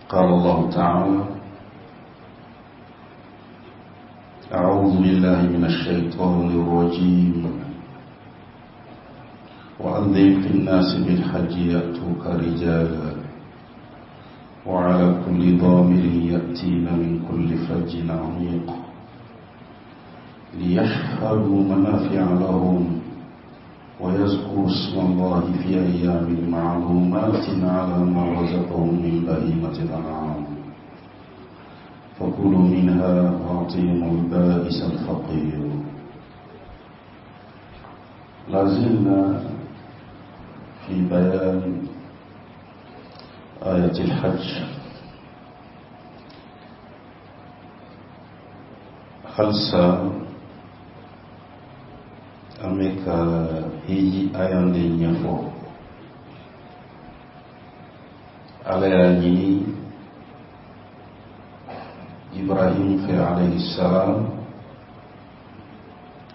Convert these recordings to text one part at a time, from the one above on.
قال الله تعالى أعوذ بالله من الشيطان الرجيم وأذن في الناس بالحج يأتوك رجالا وعلى كل ضامر يأتين من كل فج عميق ليشهدوا منافع لهم ويذكروا اسم الله في أيام معلومات على ما رزقهم من بهيمة الأنعام فكلوا منها وأطعموا البائس الفقير لازلنا في بيان آية الحج halisa an bɛ ka hiji aya de ɲɛfɔ ala y'a ɲini ibrahim fɛ alayhi salam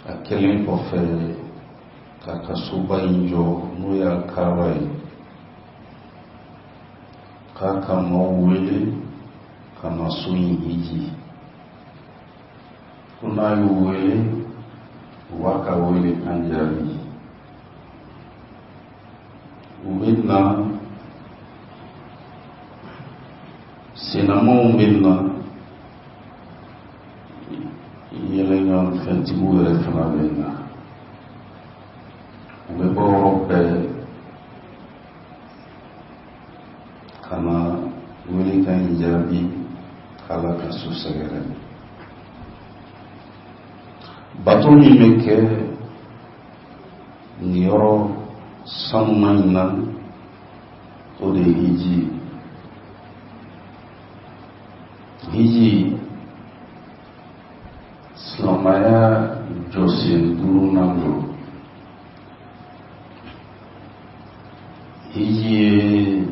a kɛlen kɔfɛ k'a ka soba in jɔ n'o y'a kaaba ye k'a ka maaw wele ka na so in hiji ko n'a y'u wele u b'a ka wele kan jaabi u bɛ na sennamaw bɛ na yɛlɛnkanfɛntigiw yɛrɛ fana bɛ na u bɛ bɔ yɔrɔ bɛɛ ka na welekan in jaabi k'ala ka so sɛgɛrɛ bato min bɛ kɛ nin yɔrɔ sanuman in na o de ye hiji ye hiji silamɛya jɔsen duurunan don hiji ye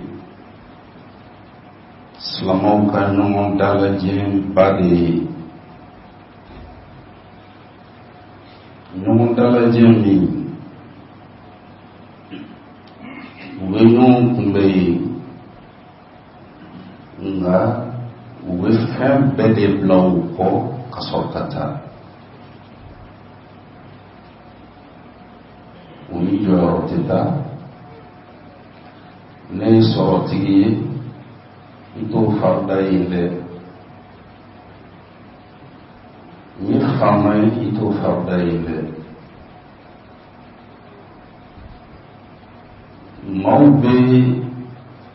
silamɛw ka ɲɔgɔn dalajɛba de ye ɲɔgɔn dalajɛ min u bɛ ɲɔgɔn kunbɛn yen nka u bɛ fɛn bɛɛ de bila u kɔ ka sɔrɔ ka taa u ni jɔyɔrɔ tɛ taa ne ye sɔrɔtigi ye n t'o farida yen dɛ n ye faama ye i t'o farida yen dɛ maaw bɛ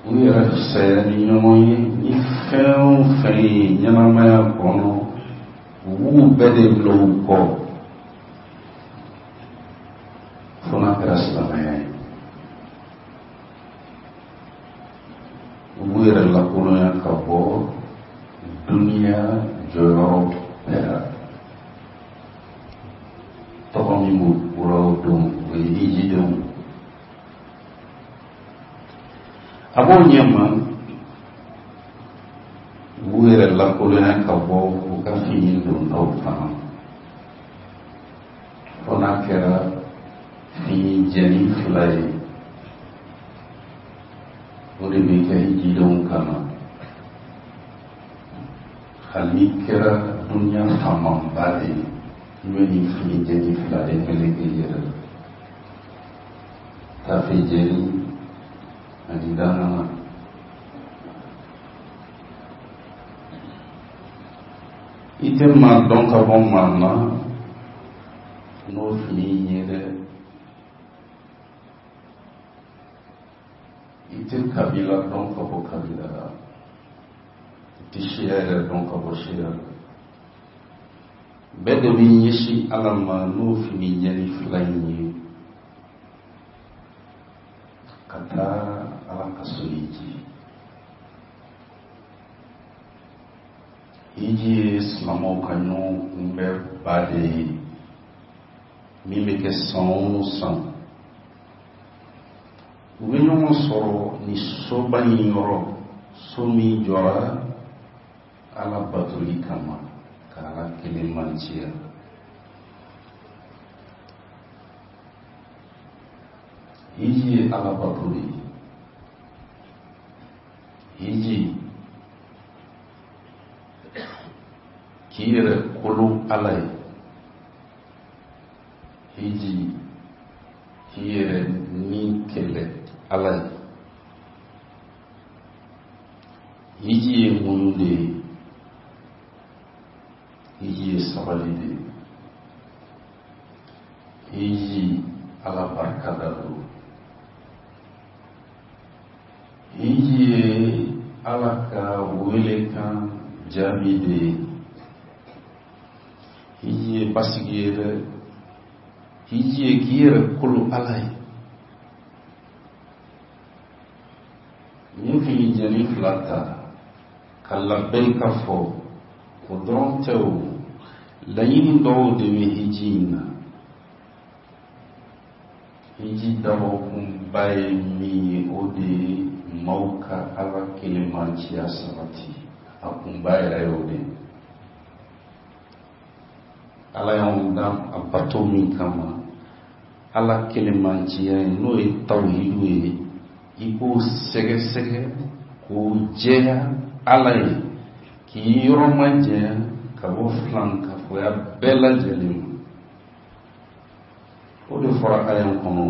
u yɛrɛ fisaya ni ɲɔgɔn ye ni fɛn o fɛn ye ɲɛnamaya kɔnɔ u b'u bɛɛ de bila u kɔ fo n'a kɛra silamɛya ye u b'u yɛrɛ lakolonya ka bɔ duniya jɔyɔrɔ bɛɛ la tɔgɔ min b'u la o don o ye hijidenw a b'o ɲɛma u b'u yɛrɛ lakolonya ka bɔ u ka fini dontaw fana fo n'a kɛra fini jɛni fila ye o de bɛ kɛ hijidenw kan na hali n'i kɛra duniya faamaba de ye i bɛ nin fini jɛni fila de meleke i yɛrɛ la tafe jɛni ani dangana i tɛ maa dɔn ka bɔ maa na n'o fini in ye dɛ i tɛ kabila dɔn ka bɔ kabila la i tɛ siya yɛrɛ dɔn ka bɔ siya la bɛɛ de b'i ɲɛsin ala ma n'o fini jɛni fila in ye ka taa ala ka so hiji hiji ye silamɛw ka ɲɔgɔn kunbɛnba de ye min bɛ kɛ san o san u bɛ ɲɔgɔn sɔrɔ nin soba in yɔrɔ so min jɔra ala batoli kama ka ala kelen manciya hiji ye ala bato de ye hiji K'i yɛrɛ kolo Ala ye. Hiji, k'i yɛrɛ ni kɛlɛ Ala ye. Hiji ye muɲu de ye. Hiji ye sabali de ye. Hiji Ala barika da don. Hiji ye Ala ka welekan jaabi de ye. Hiji ye basigi ye dɛ. Hiji ye k'i yɛrɛ kolo Ala ye. N ye finijɛni fila ta ka labɛyika fɔ, o dɔrɔn tɛ o, laɲini dɔw de bɛ hiji in na. Hiji dabɔkunba ye min ye, o de ye maaw ka Ala kelenmanciya sabati. A kunba yɛrɛ ye o de ye. Ala y'anw dan a bato min kama, Ala kelenmanciya ye, n'o ye tawhidu ye, i k'o sɛgɛsɛgɛ k'o jɛya Ala ye, k'i yɔrɔ majanya ka bɔ filankafoya bɛɛ lajɛlen ma. O de fɔra aya in kɔnɔ,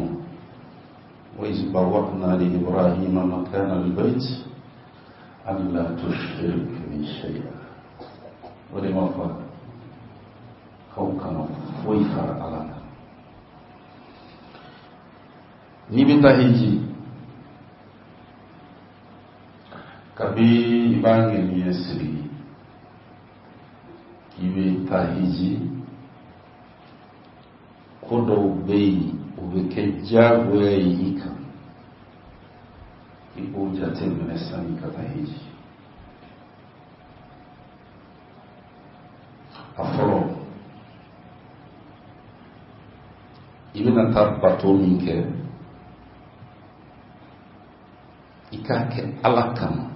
wa iz bawwa'na li Ibrahima makana al-bayt alla tushrik bi shay'a. O de ma fɔ k'aw kana foyi fara Ala kan. N'i bɛ taa hiji, kabi i b'a ŋaniya siri k'i bɛ taa hiji, ko dɔw bɛ yen o bɛ kɛ diyagoya ye i kan, i k'o jate minɛ sani ka taa hiji. A fɔlɔ, i bɛna taa bato min kɛ, i k'a kɛ Ala kama.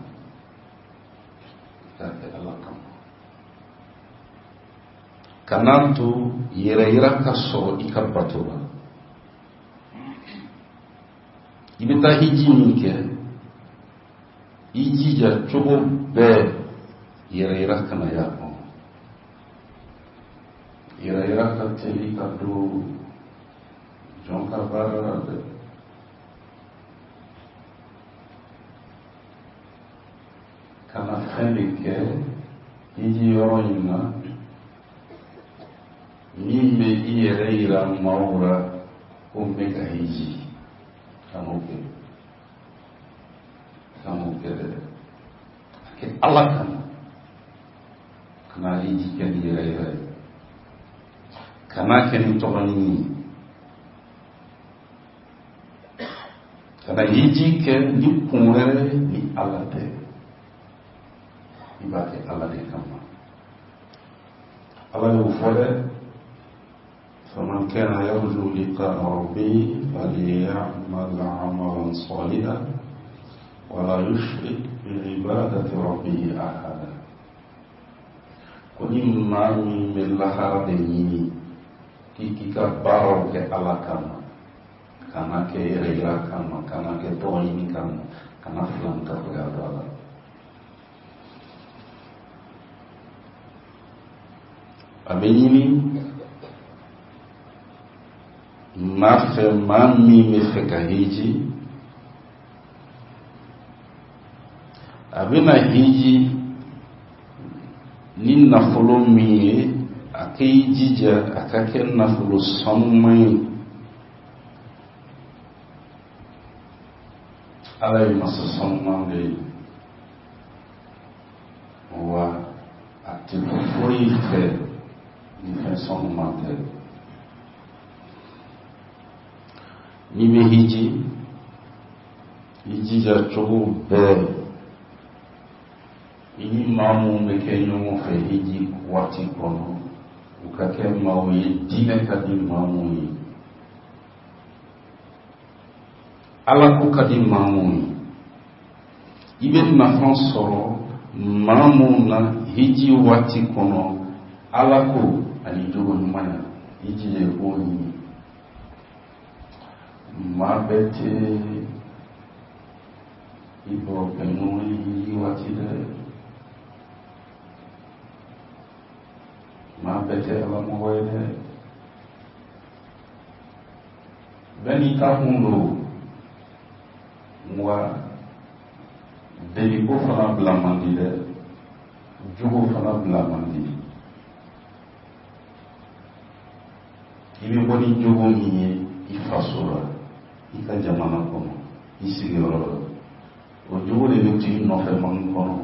I k'a kɛ Ala kama. Kana to yɛrɛyira ka sɔrɔ i ka bato la. I bɛ taa hiji min kɛ, i jija cogo bɛɛ yɛrɛyira kana y'a kɔnɔ. Yɛrɛyira ka teli ka don jɔn ka baara la dɛ. Kana fɛn de kɛ hiji yɔrɔ in na min bɛ i yɛrɛ yira maaw la ko n bɛ ka hiji. Kan'o kɛ, kan'o kɛ dɛ. A kɛ Ala kama. Kana hiji kɛ ni yɛrɛ yira ye, kana kɛ ni tɔgɔ ɲini ye, kana hiji kɛ ni kun wɛrɛ ni Ala tɛ. I b'a kɛ Ala de kama. Ala y'o fɔ dɛ, faman kana yarju liqa'a rabbihi falyamal amalan salihan wala yushrik bi'ibadati rabbihi ahada. Ko ni maa min bɛ lahara de ɲini, k'i k'i ka baaraw kɛ Ala kama, kana kɛ yɛrɛ yira kama, kana kɛ tɔgɔ ɲini kama, kana filankafoya don a la. A bɛ ɲini maa fɛ, maa min bɛ fɛ ka hiji, a bɛna hiji ni nafolo min ye, a k'i jija a ka kɛ nafolo sanuman ye. Ala ye masa sanuman de ye, wa a tɛ foyi fɛ ni fɛn sanuman tɛ. N'i bɛ hiji, i jija cogo bɛɛ i ni maa minnu bɛ kɛ ɲɔgɔn fɛ hiji waati kɔnɔ, u ka kɛ maaw ye diinɛ ka di maa minnu ye, Ala ko ka di maa minnu ye, i bɛ nafa sɔrɔ maa minnu na hiji waati kɔnɔ, Ala ko ani jogo ɲumanya, i jija i k'o ɲini. Maa bɛɛ tɛ i barokɛɲɔgɔn ye hiji waati dɛ. Maa bɛɛ tɛ Ala mɔgɔ ye dɛ. Bɛɛ n'i ta kun don. Wa deliko fana bila man di dɛ, jogo fana bila man di. I bɛ bɔ ni jogo min ye i faso la, i ka jamana kɔnɔ, i sigiyɔrɔ la, o jogo de bɛ to i nɔfɛ man kɔnɔ.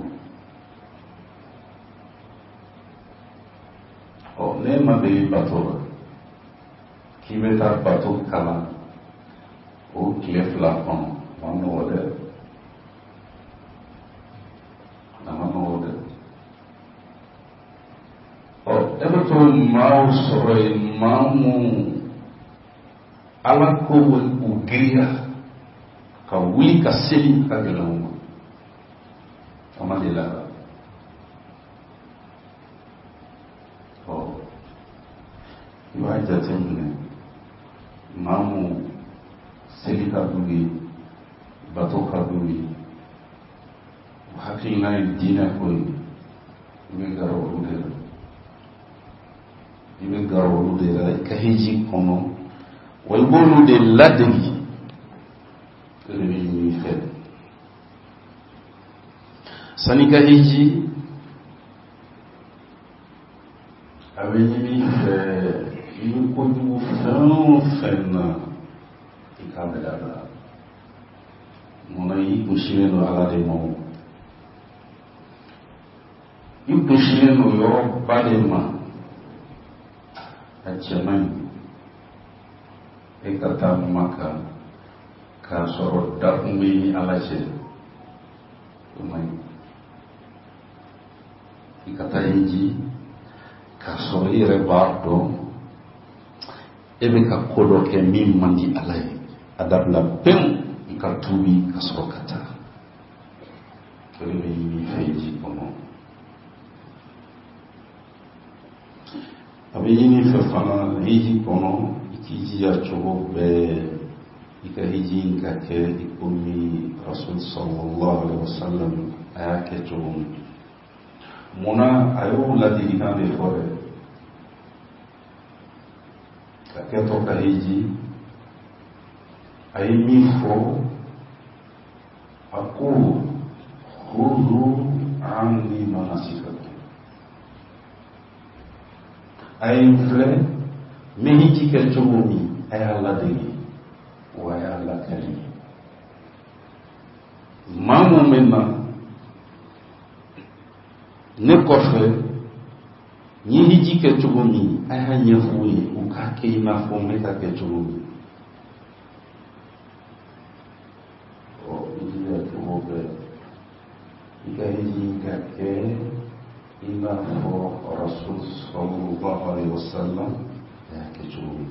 Ɔ n'e ma deli bato la k'i bɛ taa bato kalan o tile 2 kɔnɔ, a man nɔgɔ dɛ, a man nɔgɔ dɛ. Ɔ e bɛ to maaw sɔrɔ yen, maa minnu Ala ko bɛ u giriya ka wuli ka seli ka gɛlɛn u ma, a ma deli a la. Ɔ i b'a jateminɛ, maa mun seli ka d'u ye, bato ka d'u ye, u hakilina ye diinɛ ko ye, i bɛ gɛrɛ olu de la, i bɛ gɛrɛ olu de la i ka hiji kɔnɔ, wa i b'olu de ladegi. O de bɛ ɲini i fɛ sanni ka hiji. A bɛ ɲini i fɛ, i bɛ kojugu fɛn o fɛn na, i k'a bɛɛ dabila. Munna? I kunsinnen don Ala de ma, o i kunsinnen don yɔrɔba de ma. A cɛ man ɲi e ka taa Maka k'a sɔrɔ dakun bɛ ni Ala cɛ, o man ɲi. I ka taa hiji k'a sɔrɔ i yɛrɛ b'a dɔn e bɛ ka ko dɔ kɛ min man di Ala ye, a dabila pewu, i ka tuubi ka sɔrɔ ka taa. O de bɛ ɲini i fɛ hiji kɔnɔ. A bɛ ɲini i fɛ fana hiji kɔnɔ, i k'i jija cogo bɛɛ i ka hiji in ka kɛ i komi Rasul sallallahu alaihi wasallam a y'a kɛ cogo min. Munna a y'o ladilikan de fɔ dɛ? Ka kɛtɔ ka hiji, a ye min fɔ, a ko: khudhu anni manasikakum, a ye n filɛ n bɛ hiji kɛ cogo min, a y'a ladege wa a y'a lakali. Maa mun bɛ na ne kɔfɛ, n ye hiji kɛ cogo min, a y'a ɲɛfɔ u ye, u k'a kɛ i n'a fɔ n bɛ ka kɛ cogo min. Ɔ i jija cogo bɛɛ i ka hiji ka kɛ i n'a fɔ Rasul sallallahu alaihi wasallam a y'a kɛ cogo min.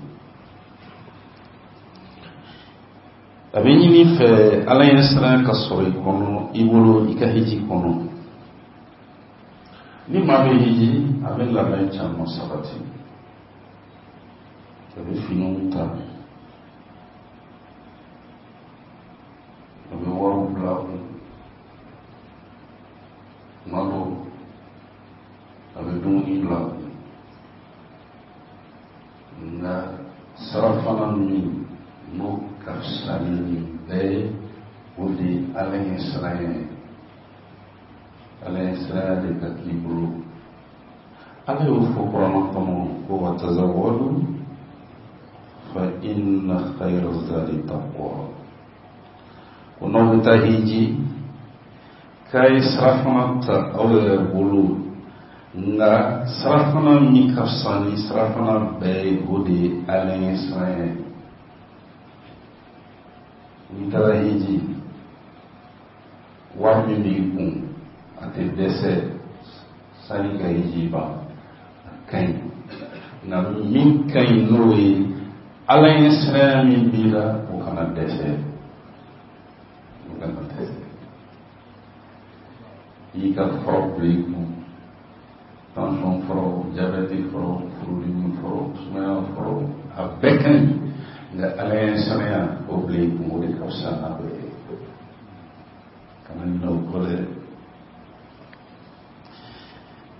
A bɛ ɲini i fɛ Ala ɲɛ siran ka sɔrɔ i kɔnɔ, i bolo, i ka hiji kɔnɔ. Ni maa bɛ hiji, a bɛ labɛn caman sabati, a bɛ finiw ta, a bɛ wariw bila a kun, tuma dɔw a bɛ dumuni bila a kun. Nka sarafana min n'o ka fisa ni nin bɛɛ ye, o de ye Ala ɲɛ siranya ye. Ala ɲɛ siranya de ka k'i bolo. Ala y'o fɔ kuranɛ kɔnɔ ko: wa tazawwadu fa inna khayra zadi taqwa. Ko n'aw bɛ taa hiji, k'a ye sarafana ta aw yɛrɛ bolo, nka sarafana min ka fisa ni sarafana bɛɛ ye, o de ye Ala ɲɛ siranya ye. N'i taara hiji, wari min b'i kun, a tɛ dɛsɛ sani ka hiji ban, a ka ɲi. Nka min ka ɲi n'o ye, Ala ɲɛ siranya min b'i la, o kana dɛsɛ, o kana dɛsɛ. I y'i ka furaw bila i kun, tension furaw, jabɛti furaw, furudimi furaw, sumaya furaw, a bɛɛ ka ɲi, nka Ala ɲɛ siranya, o bila i kun, o de ka fisa n'a bɛɛ ye. Kana ɲinɛ o kɔ dɛ.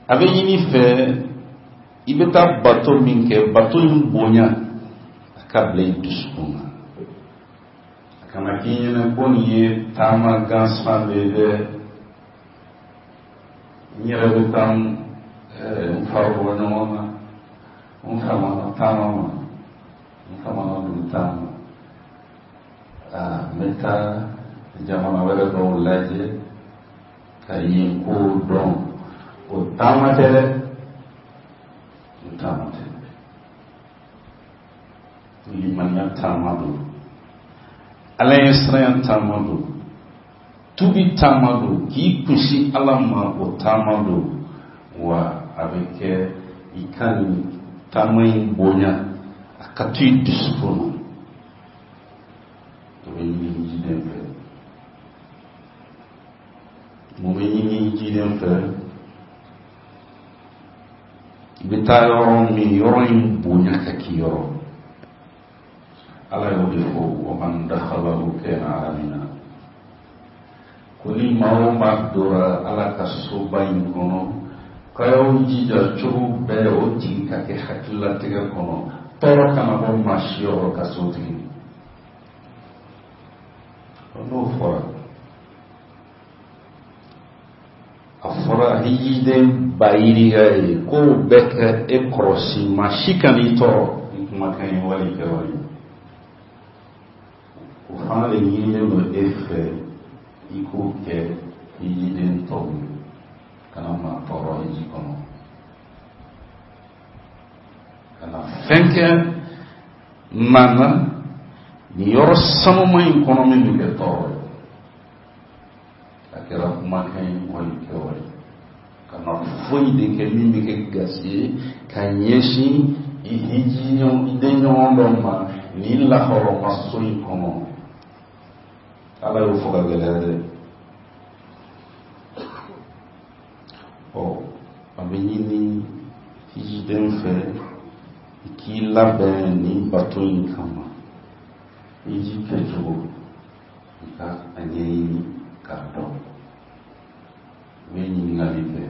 A bɛ ɲini fɛ I bɛ taa bato min kɛ, bato in bonya a ka bila i dusukun na. A kana k'i ɲɛna ko nin ye taama gansan de ye dɛ, n yɛrɛ bɛ taa n fari bɔ ɲɔgɔn na, n famana taama ma, n famana don taama, n bɛ taa jamana wɛrɛ dɔw lajɛ ka yen kow dɔn. O taama tɛ dɛ, o taama tɛ. Limaniya taama don, Ala ɲɛsiranya taama don, tubi taama don, k'i kunsin Ala ma, o taama don. Wa a bɛ kɛ i ka nin taama in bonya, a ka to i dusukun na. O bɛ ɲini hijiden fɛ. Mun bɛ ɲini hijiden fɛ? I bɛ taa yɔrɔ min, yɔrɔ in bonya ka k'i yɔrɔ. Ala y'o de fɔ: wa man dakhalahu kana amina. Ko ni maa o maa dora Ala ka soba in kɔnɔ, k'a y'aw jija cogo bɛɛ o tigi ka kɛ hakililatigɛ kɔnɔ, tɔɔrɔ kana bɔ maa si yɔrɔ ka so tigi. N'o fɔra, a fɔra hijiden ba yirika ye k'o bɛɛ kɛ e kɔrɔsi, maa si kan'i tɔɔrɔ ni kumakan ye wali kɛwale. O fana de ɲinilen don e fɛ, i k'o kɛ hijiden tɔw ye, kana maa tɔɔrɔ hiji kɔnɔ, kana fɛn kɛ maa na nin yɔrɔ sanuman in kɔnɔ min bɛ kɛ tɔɔrɔ ye. A kɛra kumakan ye wali kɛwale, kana foyi de kɛ min bɛ kɛ gasi ye ka ɲɛsin i hiji i den ɲɔgɔn dɔ ma nin lahɔrɔma so in kɔnɔ. Ala y'o fɔ ka gɛlɛya dɛ. Ɔ, a bɛ ɲini hijiden fɛ i k'i labɛn nin bato in kama. Hiji kɛcogo, i ka a ɲɛɲini k'a dɔn. I bɛ ɲininkali kɛ: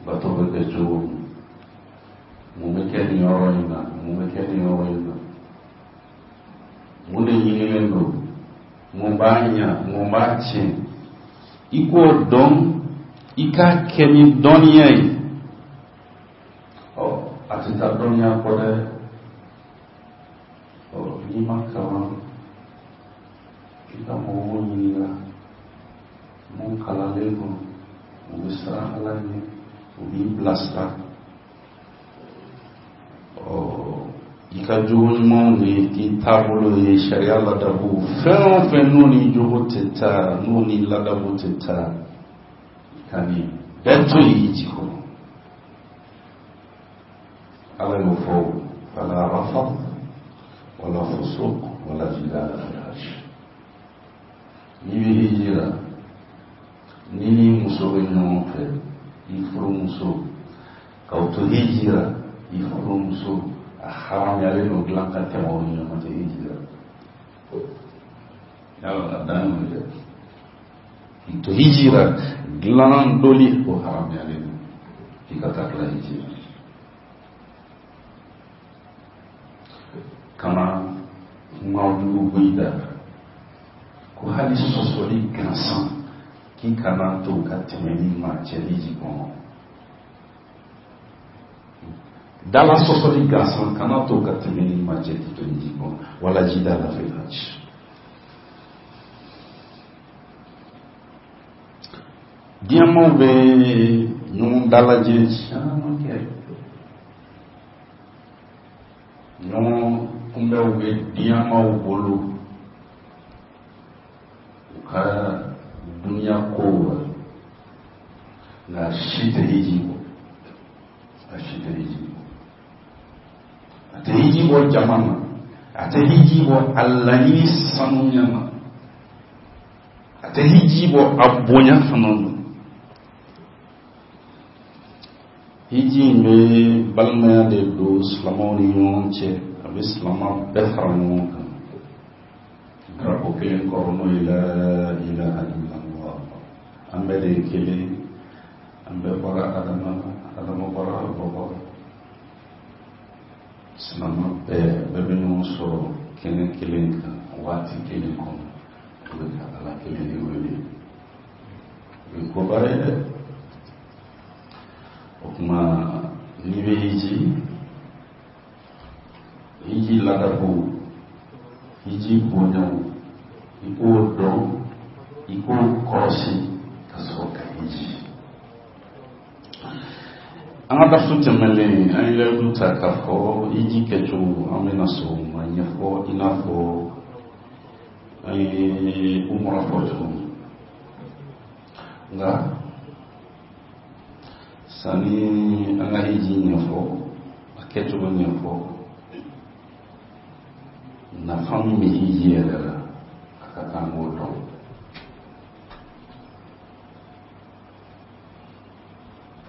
bato bɛ kɛ cogo min, mun bɛ kɛ nin yɔrɔ in na, mun bɛ kɛ nin yɔrɔ in na, mun de ɲinilen don, mun b'a ɲa, mun b'a tiɲɛ? I k'o dɔn, i k'a kɛ ni dɔnniya ye. Ɔ, a tɛ taa dɔnniya kɔ dɛ. Ɔ, n'i ma kalan, i ka mɔgɔw ɲininka mun kalanlen don, u bɛ siran Ala ɲɛ, u b'i bilasira. Ɔ, i ka jogo ɲumanw de k'i taabolo ye, sariya ladabu fɛn o fɛn, n'o ni jogo tɛ taa, n'o ni ladabu tɛ taa, i ka nin bɛɛ to yen hiji kɔnɔ. Ala y'o fɔ: fala rafath wala fusuq wala jidala fil hajj. N'i bɛ hiji la, n'i ni muso bɛ ɲɔgɔn fɛ, i furumuso, k'aw to hiji la, i furumuso a haramuyalen don dilan ka tɛmɛ aw ni ɲɔgɔn cɛ hiji la. Yala a dan y'o ye dɛ. K'i to hiji la, dilan doli, o haramuyalen don k'i ka taa tila hiji la. Kana kuma jugu bɔ i da, ko hali sɔsɔli gansan, k'i kana to ka tɛmɛ ni maa cɛ hiji kɔnɔ. Dala sɔsɔli gansan, kana to ka tɛmɛ ni maa cɛ k'i to hiji kɔnɔ. Wala jidala fil hajj. Diɲɛmaw bɛ ɲɔgɔn dalajɛ caman kɛ, ɲɔgɔn kunbɛnw bɛ diɲɛmaw bolo u ka duniya kow la, nka si tɛ hiji bɔ, a si tɛ hiji bɔ. A tɛ hiji bɔ jama ma, a tɛ hiji bɔ a laɲini sanuya ma, a tɛ hiji bɔ a bonya fana ma. Hiji in bɛ balimaya de don silamɛw ni ɲɔgɔn cɛ, a bɛ silama bɛɛ fara ɲɔgɔn kan drapeau kelen kɔrɔ, n'o ye la ilaha illallah. An bɛɛ de ye kelen, an bɛɛ bɔra Adama, Adama bɔra bɔbɔ. Silamɛ bɛɛ bɛ ɲɔgɔn sɔrɔ kɛnɛ kelen kan waati kelen kɔnɔ, u bɛ ka Ala kelen de wele. O ye koba ye dɛ. O tuma n'i bɛ hiji, hiji ladabu, hiji bonyaw, i k'o dɔn, i k'o kɔlɔsi ka sɔrɔ ka hiji. An ka darisu tɛmɛnen, an ye layidu ta k'a fɔ hiji kɛcogo, an bɛna sɔn o ma ɲɛfɔ i n'a fɔ an ye umura fɔ cogo min. Nka sani an ka hiji ɲɛfɔ, a kɛcogo ɲɛfɔ, nafa min bɛ hiji yɛrɛ la, a ka kan k'o dɔn.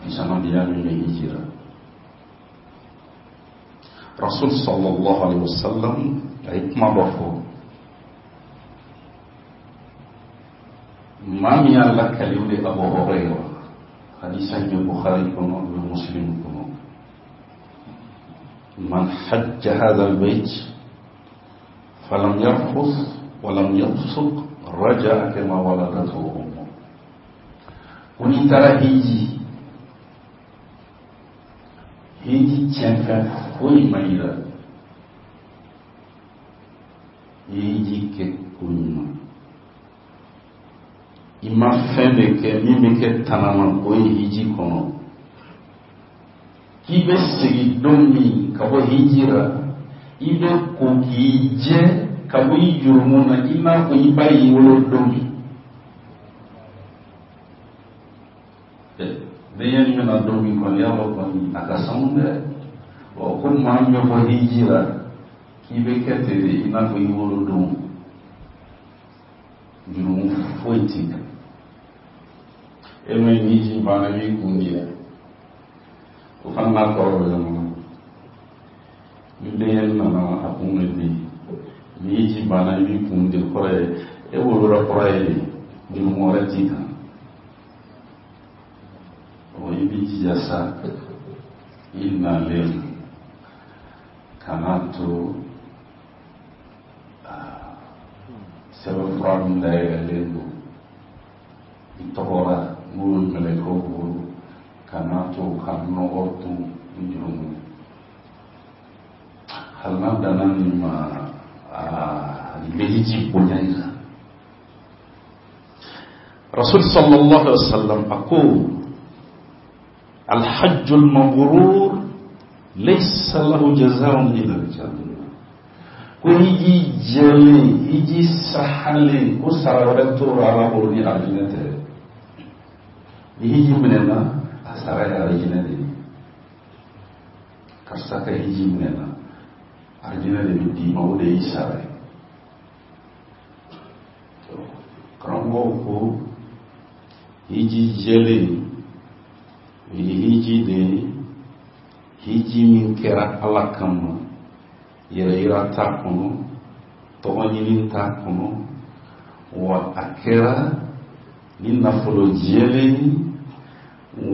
Fisamandiya min bɛ hiji la, Rasul sallallahu alaihi wasallam a ye kuma dɔ fɔ. Maa min y'a lakali, o de Abu Huraira. Hadisa in bɛ Bukhari kɔnɔ, bɛ Muslim kɔnɔ. Man hajja hadha albayt falam yarfus walam yafsuq raja'a kama waladathu ummu. Ko n'i taara hiji, hiji tiɲɛfɛn foyi ma yira, i ye hiji kɛ ko ɲuman, i ma fɛn de kɛ min bɛ kɛ tanama ko ye hiji kɔnɔ, k'i bɛ segin don min ka bɔ hiji la, i bɛ ko k'i jɛ ka bɔ i jurumu na i n'a fɔ i ba y'i wolo don min. Denyɛni bɛna don min kɔni, y'a dɔn kɔni a ka sanu dɛ. Ɔ, ko maa min bɛ bɔ hiji la, k'i bɛ kɛ ten de i n'a fɔ i wolo don, jurumu foyi t'i kan. E min hiji banna, i b'i kun di yan, o fana n'a kɔrɔ bɛ ɲɔgɔn na. Ni denyɛni nana, a kun bɛ di. Ni hiji banna, i b'i kun di, kɔrɔ ye e wolola kura ye de, jurumu wɛrɛ t'i kan. Ɔ, i b'i jija sa, i nalen, kana to sɛbɛnfura min dayɛlɛlen don i tɔgɔ la, n'o ye mɛlɛkɛw bolo, kana to ka nɔgɔ tun ni jurumu ye. Hali n'a danna nin ma, nin bɛ hiji bonya i la. Rasul sallallahu alaihi wasallam a ko: alhajjul mabrur laysa lahu jazaa'un illa aljanna. Ko hiji jɛlen, hiji sahalen, ko sara wɛrɛ t'o la Ala bolo ni alijinɛ tɛ. Ni hiji minɛna, a sara ye alijinɛ de ye. Karisa ka hiji minɛna, alijinɛ de bɛ d'i ma, o de y'i sara ye. Karamɔgɔw ko hiji jɛlen o ye hiji de ye, hiji min kɛra Ala kama, yɛrɛyira t'a kɔnɔ, tɔgɔ ɲini t'a kɔnɔ, wa a kɛra ni nafolo jɛlen ye,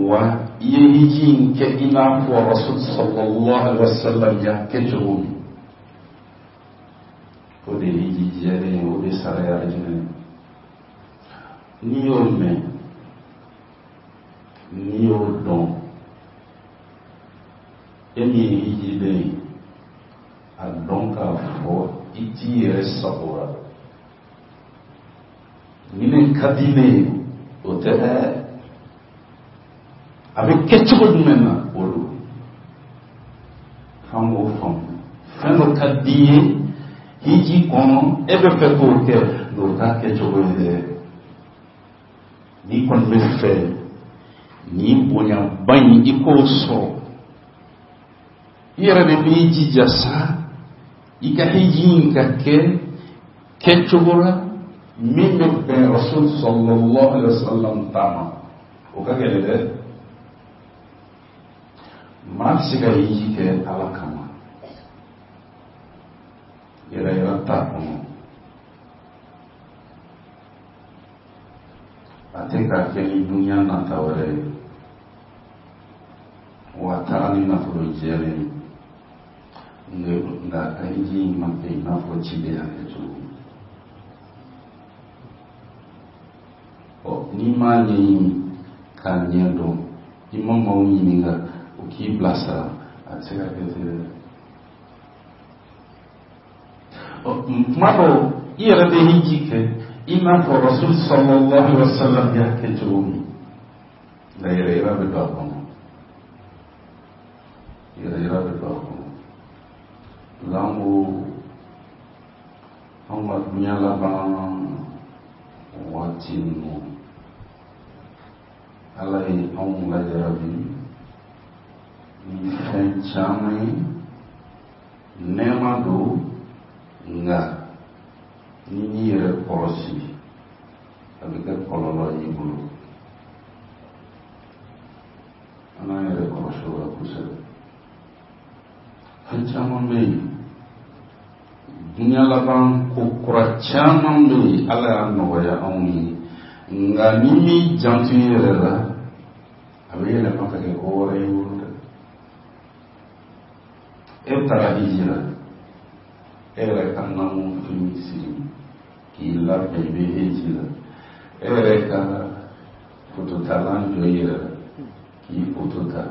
wa i ye hiji in kɛ i n'a fɔ Rasul sallallahu alaihi wasallam y'a kɛ cogo min. O de ye hiji jɛlen ye, o de sara ye alijinɛ ye. N'i y'o mɛn, n'i y'o dɔn, e min ye hijiden ye, a dɔn k'a fɔ i t'i yɛrɛ sago la. Ni ne ka di ne ye, o tɛ dɛ. A bɛ kɛ cogo jumɛn na, o don. F'an k'o faamu. Fɛn dɔ ka di i ye hiji kɔnɔ, e bɛ fɛ k'o kɛ, nka o t'a kɛcogo ye dɛ. N'i kɔni bɛ fɛ nin bonyaba in, i k'o sɔrɔ, i yɛrɛ de b'i jija sa i ka hiji in ka kɛ kɛcogo la min bɛ bɛn Rasul sallallahu alaihi wasallam ta ma. O ka gɛlɛn dɛ. Maa bɛ se ka hiji kɛ Ala kama, yɛrɛ yɛrɛ t'a kɔnɔ, a tɛ k'a kɛ ni dunuya nata wɛrɛ ye, wa a taara ni nafolo jɛlen ye. Nka a ka hiji in ma kɛ i n'a fɔ ciden y'a kɛ cogo min. Ɔ, n'i m'a ɲɛɲini k'a ɲɛ dɔn, i ma maaw ɲininka u k'i bilasira, a tɛ se ka kɛ ten dɛ. Ɔ, tuma dɔw i yɛrɛ bɛ hiji kɛ i n'a fɔ Rasul sallallahu alaihi wa sallam y'a kɛ cogo min, nka yɛrɛ yira bɛ don a kɔnɔ, yɛrɛ yira bɛ don a kɔnɔ. Nka an ko anw ka dunya laban waati ninnu, Ala ye anw lajarabi ni fɛn caman ye. Nɛɛma don, nka n'i m'i yɛrɛ kɔlɔsi, a bɛ kɛ kɔlɔlɔ y'i bolo. An k'an yɛrɛ kɔlɔsi o la kosɛbɛ. Fɛn caman bɛ yen, dunya laban ko kura caman bɛ yen, Ala y'a nɔgɔya anw ye, nka n'i m'i janto i yɛrɛ la, a bɛ yɛlɛma ka kɛ ko wɛrɛ y'i bolo dɛ. E taara hiji la, e yɛrɛ ka naamu fini siri k'i labɛn, i bɛ hiji la, e yɛrɛ ka fototalan jɔ i yɛrɛ la k'i foto ta,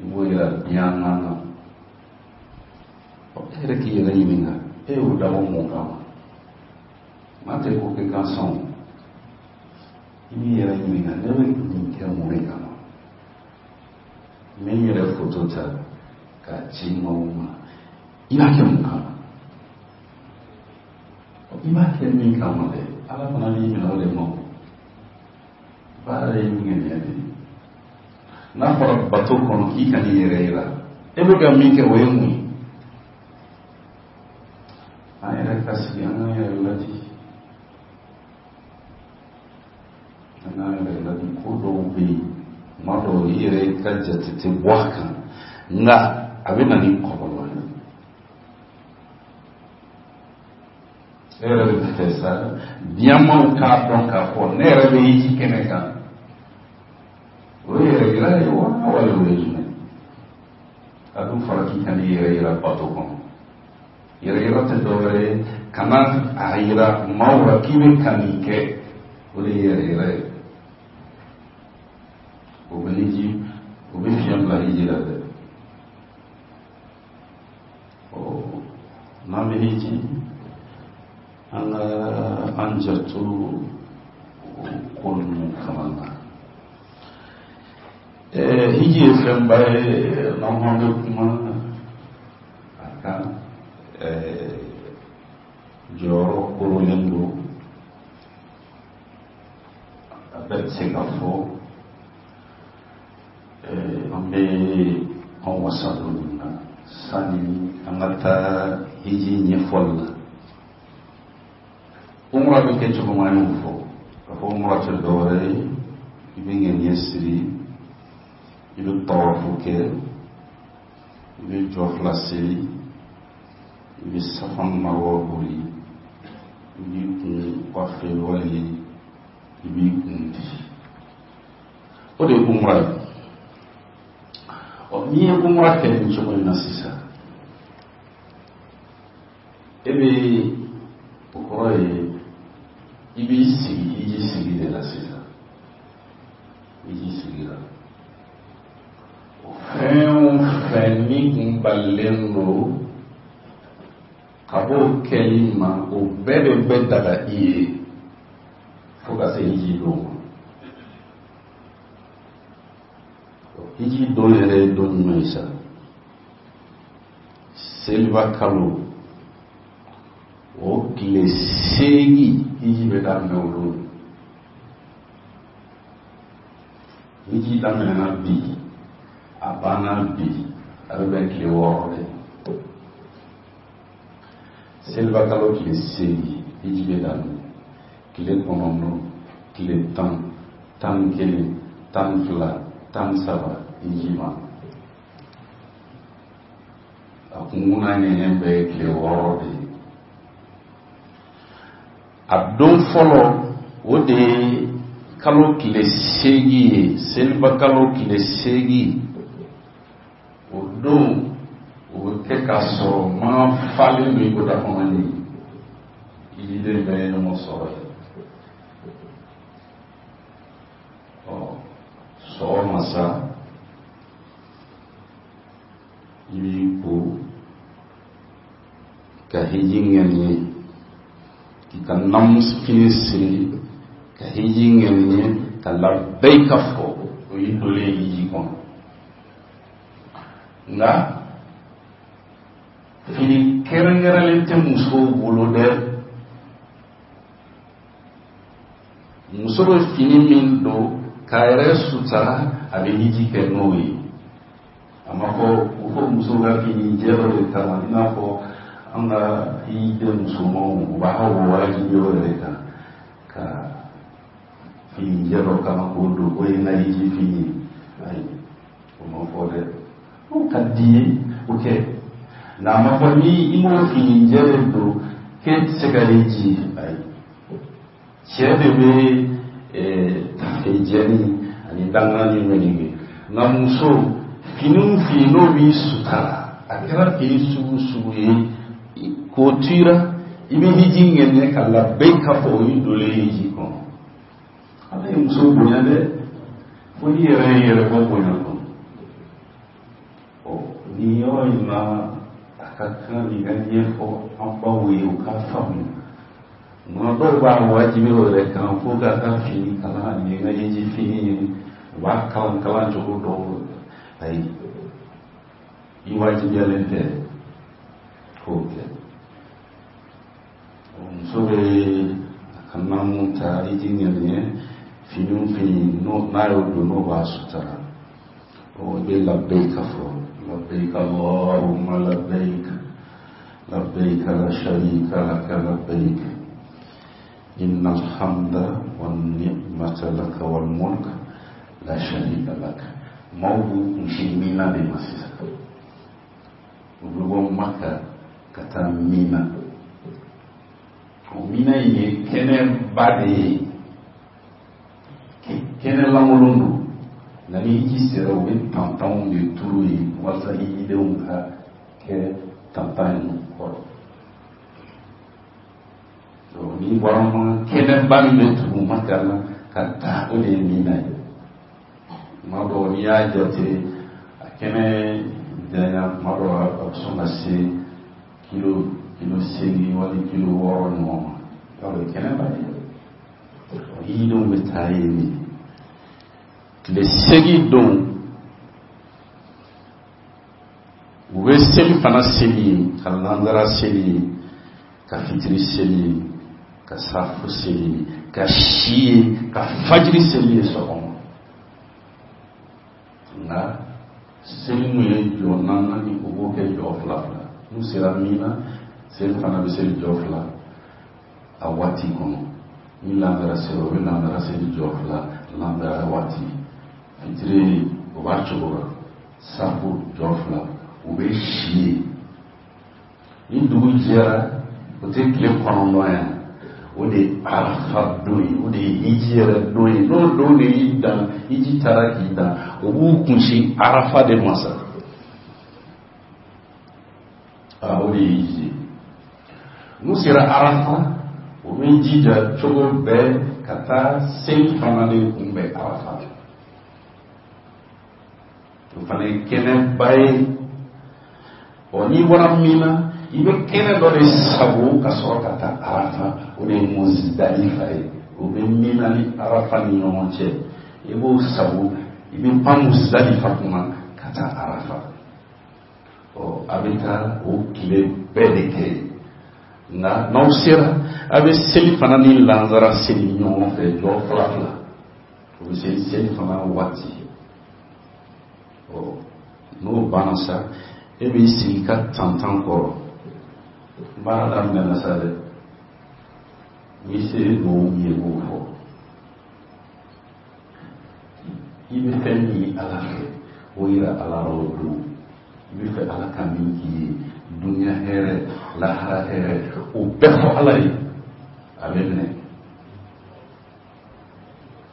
i b'o yira diɲɛ na na. E yɛrɛ k'i yɛrɛ ɲininka, e y'o dabɔ mun kama? Maa tɛ ko kɛ gansan o. I b'i yɛrɛ ɲininka, ne bɛ nin kɛ mun de kama? N bɛ n yɛrɛ foto ta k'a ci maaw ma, i b'a kɛ mun kama? I b'a kɛ min kama dɛ, Ala fana b'i minɛ o de ma. O baara ye ŋaniya de ye. N'a fɔra bato kɔnɔ k'i kan'i yɛrɛ yira, e bɛ ka min kɛ, o ye mun ye? An yɛrɛ ka sigi, an k'an yɛrɛ ladi, an k'an yɛrɛ ladi. Ko dɔw bɛ yen, tuma dɔw i yɛrɛ ka jate tɛ bɔ a kan, nka a bɛ na ni kɔlɔlɔ ye. E yɛrɛ bɛ fɛ sa diɲɛmaaw k'a dɔn k'a fɔ ne yɛrɛ bɛ hiji kɛnɛ kan, o ye yɛrɛ yira ye wa, wali o ye jumɛn? A dun fɔra k'i kan'i yɛrɛ yira bato kɔnɔ. Yɛrɛ yira tɛ dɔwɛrɛ ye, kana a yira maaw la k'i bɛ ka nin kɛ, o de ye yɛrɛ yira ye. O bɛ hiji, o bɛ fiɲɛ bila hiji la dɛ. Ɔ, n'an bɛ hiji, an ka an janto o ko ninnu fana na. Hiji ye fɛnba ye, n'an ko an bɛ kuma a kan, jɔyɔrɔ korolen don, a bɛɛ tɛ se ka fɔ. An bɛ an wasa don nin na sani an ka taa hiji ɲɛfɔli la. Umra bɛ kɛ cogo min, an y'o fɔ k'a fɔ umra tɛ dɔwɛrɛ ye, i bɛ ŋaniya siri, i bɛ tawafu kɛ, i bɛ jɔ fila seli, i bɛ safa ni marwa boli, i b'i kun coiffer wali i b'i kun di, o de ye umra ye. Ɔ, n'i ye umra kɛ nin cogo in na sisan, e bɛ, o kɔrɔ ye i b'i sigi hiji sigi de la sisan. Hiji sigi la, o fɛn o fɛn min kun balilen don ka b'o kɛli ma, o bɛɛ de bɛ daga i ye fo ka se hiji don ma. Hiji don yɛrɛ ye don jumɛn ye sa? Seliba kalo o tile 8, hiji bɛ daminɛ o don. Hiji daminɛna bi, a banna bi, a bɛ bɛn tile 6 de. Seliba kalo tile 8, hiji bɛ daminɛ. Tile 9, tile 10, 11, 12, 13, hiji ma. A kunkun n'a ɲɛɲɛ bɛɛ ye tile 6 de ye. A don fɔlɔ, o de ye kalo tile 8 ye, seliba kalo tile 8, o don O bɛ kɛ k'a sɔrɔ makan falen don i ko dakɔnɔni. Hijiden bɛɛ ye ɲɔgɔn sɔrɔ yen. Ɔ, sɔgɔma sa, i b'i ko ka hiji ŋaniye, k'i ka naamu fini siri ka hiji ŋaniye, ka labɛyika fɔ. O y'i donnen hiji kɔnɔ. Nka fini kɛrɛnkɛrɛnlen tɛ musow bolo dɛ. Muso bɛ fini min don k'a yɛrɛ sutara, a bɛ hiji kɛ n'o ye. A ma fɔ u ko muso ka fini jɛ dɔ de kalan, i n'a fɔ an ka hijiden musomanw, u b'a o wajibi o yɛrɛ kan ka fini jɛ dɔ kalan k'o don, o ye n ka hiji fini ye. Ayi, o ma fɔ dɛ. O ka di ye, o kɛ, nka a ma fɔ ni i m'o fini jɛ de don k'e tɛ se ka hiji. Ayi, cɛ de bɛ tafe jɛni ani danganani meleke, nka muso, fini o fini n'o b'i sutara, a kɛra fini sugu sugu ye, k'o tira, i bɛ hiji ŋɛniɲɛ ka labɛyika fɔ, o y'i donnen hiji kɔnɔ. Ala ye muso bonya dɛ, fo n'i yɛrɛ y'i yɛrɛ bɔ bonya kɔnɔ. Ɔ, nin yɔrɔ in na, a ka kan nin ka ɲɛfɔ an baw ye, u k'a faamu. Nka dɔw b'a wajibi o yɛrɛ kan fo k'a ka fini kala, nin ye n ka hiji fini ye, u b'a kalan kalan cogo dɔw. Ayi, i wajibiyalen tɛ k'o kɛ. Muso bɛ a ka naamu ta, hiji ŋaniɲɛ, fini o fini n'a y'o don, n'o b'a sutara, o bɛ labɛyika fɔ: labɛyika Allahumma labɛyika, labɛyika la sharika laka labɛyika, inna alhamda wa ni'mata laka wal mulk la sharika laka. Maaw b'u kunsin Mina de ma sisan. U bɛ bɔ Maka ka taa Mina. O Mina in ye kɛnɛba de ye, kɛnɛ lankolon don, nka ni hiji sera, u bɛ tantanw de turu yen walasa hijidenw ka kɛ tantan in kɔrɔ. N'i bɔra ma, kɛnɛba min bɛ tugu Maka la ka taa, o de ye Mina ye. Tuma dɔw, n'i y'a jate, a kɛnɛ janya, tuma dɔw a bɛ sɔn ka se kilo 8 wali kilo 6 ɲɔgɔn ma. Yarɔ, o ye kɛnɛba ye. Hijidenw bɛ taa yen de. Tile 8 don, u bɛ seli fana seli yen, ka lansara seli yen, ka fitiri seli yen, ka safo seli yen, ka si yen, ka fajiri seli yen sɔgɔma. Nka seli min ye jɔ naani, u b'o kɛ jɔ fila fila. N'u sera Mina, seli fana bɛ seli jɔ fila a waati kɔnɔ. Ni lansara sera, u bɛ lansara seli jɔ fila lansara waati. Fitiri, o b'a cogo la, safo jɔ fila. U bɛ si yen. Ni dugu jɛra, o tɛ tile 9 yan, o de ye Arafa don ye, o de ye hiji yɛrɛ don ye. N'o don de y'i dan, hiji taara k'i dan, o b'u kunsin Arafa de ma sa. Aa, o de ye hiji ye. N'u sera Arafa, u bɛ jija cogo bɛɛ ka taa seli fana de kunbɛn Arafa. O fana ye kɛnɛba ye. Ɔ, n'i bɔra Mina, i bɛ kɛnɛ dɔ de sago ka sɔrɔ ka taa Arafa, o de ye Muzidalifa ye. O bɛ Mina ni Arafa ni ɲɔgɔn cɛ. I b'o sago, i bɛ pan Muzidalifa kunna ka taa Arafa. Ɔ, a bɛ taa o tile bɛɛ de kɛ yen. Nka n'aw sera, a bɛ seli fana ni lansara seli ɲɔgɔn fɛ jɔ fila fila. O bɛ seli seli fana waati. Ɔ, n'o banna sa, e b'i sigi ka tantan kɔrɔ. Baara daminɛna sa dɛ. N'i se ye dugawu min ye, i b'o fɔ. I bɛ fɛn min ye Ala fɛ, o yira Ala la o don. I bɛ fɛ Ala ka min k'i ye, dunuya hɛrɛ, lahara hɛrɛ, o bɛɛ fɔ Ala ye, a bɛ minɛ.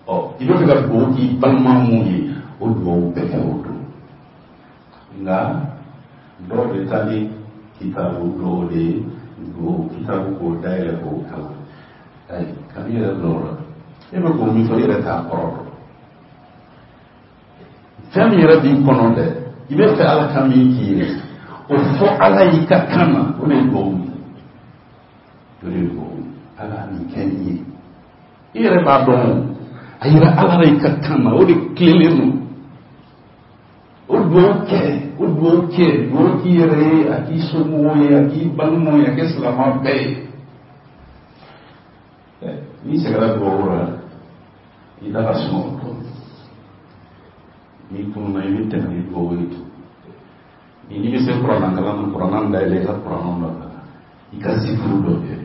Ɔ, i bɛ fɛ ka dugawu k'i balima mun ye, o dugawu bɛɛ kɛ o don. Nka Dɔw bɛ taa ni kitabu dɔw de ye, o kitabu k'o dayɛlɛ k'o kalan. Ayi, kan'i yɛrɛ bila o la. E bɛ k'o min fɔ, i yɛrɛ t'a kɔrɔ dɔn. Fɛn min yɛrɛ b'i kɔnɔ dɛ, i bɛ fɛ Ala ka min k'i ye, o fɔ Ala y'i ka kan na, o de ye dugawu ye. O de ye dugawu ye. Ala nin kɛ n ye. I yɛrɛ b'a dɔn o. A yira Ala la i ka kan na, o de tilennen don. O dugawu kɛ, o dugawu kɛ, dugawu k'i yɛrɛ ye, a k'i somɔgɔw ye, a k'i balimaw ye, a kɛ silamɛ bɛɛ ye. N'i sɛgɛnna dugawu la, i da ka sunɔgɔ dɔɔnin. N'i kununa, i bɛ tɛmɛ ni dugawu ye tun. N'i bɛ se kuranna kalan na, kuranna dayɛlɛ, i ka kuranna dɔ kalan, i ka zikuru dɔ kɛ.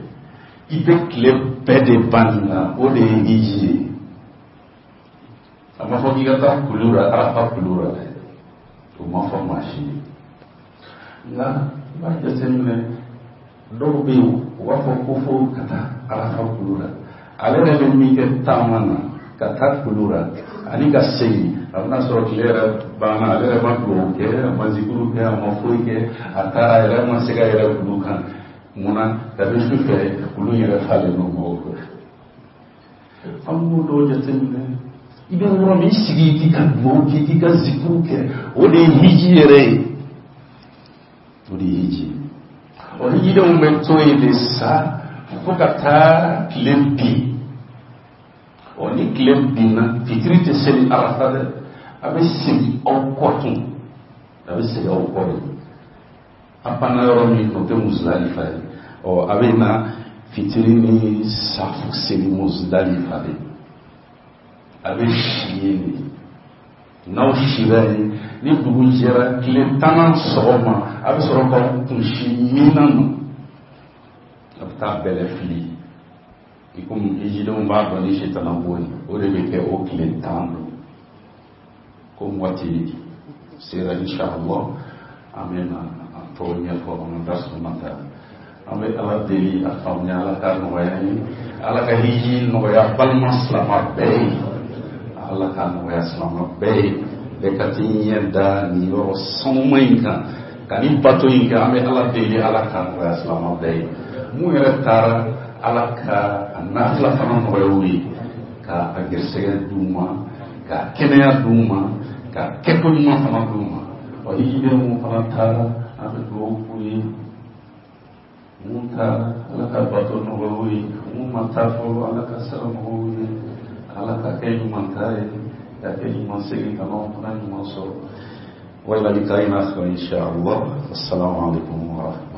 I bɛ tile bɛɛ de ban nin na, o de ye hiji ye. A ma fɔ k'i ka taa kulu la, Arafa kulu la dɛ, o ma fɔ maa si ye. Nka i b'a jateminɛ, dɔw bɛ yen, u b'a fɔ ko fo ka taa Arafa kulu la. Ale yɛrɛ bɛ min kɛ taama na ka taa kulu la ani ka segin, a bɛna sɔrɔ tile yɛrɛ banna. Ale yɛrɛ ma dugawu kɛ, a ma zikuru kɛ, a ma foyi kɛ. A taara, a yɛrɛ ma se ka yɛrɛ kulu kan. Munna? Kabi su fɛ, kulu yɛrɛ falen don mɔgɔw fɛ. An b'o dɔw jateminɛ. I bɛ yɔrɔ min, i sigi k'i ka dugawu kɛ, k'i ka zikuru kɛ, o de ye hiji yɛrɛ ye, o de ye hiji ye. Ɔ, hijidenw bɛ to yen de sa fo ka taa tile bin. Ɔ, ni tile binna, fitiri tɛ seli Arafa dɛ. A bɛ segin aw kɔ tun, a bɛ segin aw kɔ de. A panna yɔrɔ min, o tɛ Muzidalifa ye. Ɔ, a bɛ na fitiri ni safo seli Muzidalifa de. A bɛ si yen de. N'aw sira yen, ni dugu jɛra, tile tannan sɔgɔma, a bɛ sɔrɔ k'aw kunsi Mina ma. A bɛ taa bɛlɛ fili, i komi hijidenw b'a dɔn ni sitana bon ye, o de bɛ kɛ o tile 10 don. Komi waati sera, inshallah an bɛ na a tɔ ɲɛfɔ an ka da nata. An bɛ Ala deli, a faamuya, Ala ka nɔgɔya ye. Ala ka hiji nɔgɔya balima silama bɛɛ ye. Ala ka nɔgɔya silama bɛɛ ye, bɛɛ ka t'i ɲɛ da nin yɔrɔ sanuma in kan ka nin bato in kɛ. An bɛ Ala deli, Ala ka nɔgɔya silama bɛɛ ye. Mun yɛrɛ taara, Ala ka a nafila fana nɔgɔya u ye, ka a gɛrɛsɛgɛ d'u ma, ka kɛnɛya d'u ma, ka kɛko ɲuman fana d'u ma. Wa hijiden mun fana taara, an bɛ dugawu k'u ye. Mun taara, Ala ka bato nɔgɔya u ye. Mun ma taa fɔlɔ, Ala ka sira nɔgɔya u ye. Ala ka kɛ ɲuman ta ye, ka kɛ ɲuman segin ka n'anw fana ɲuman sɔrɔ. Wa ila liqa'in akhar insha Allah. Assalamu alaikum wa rahmatullahi.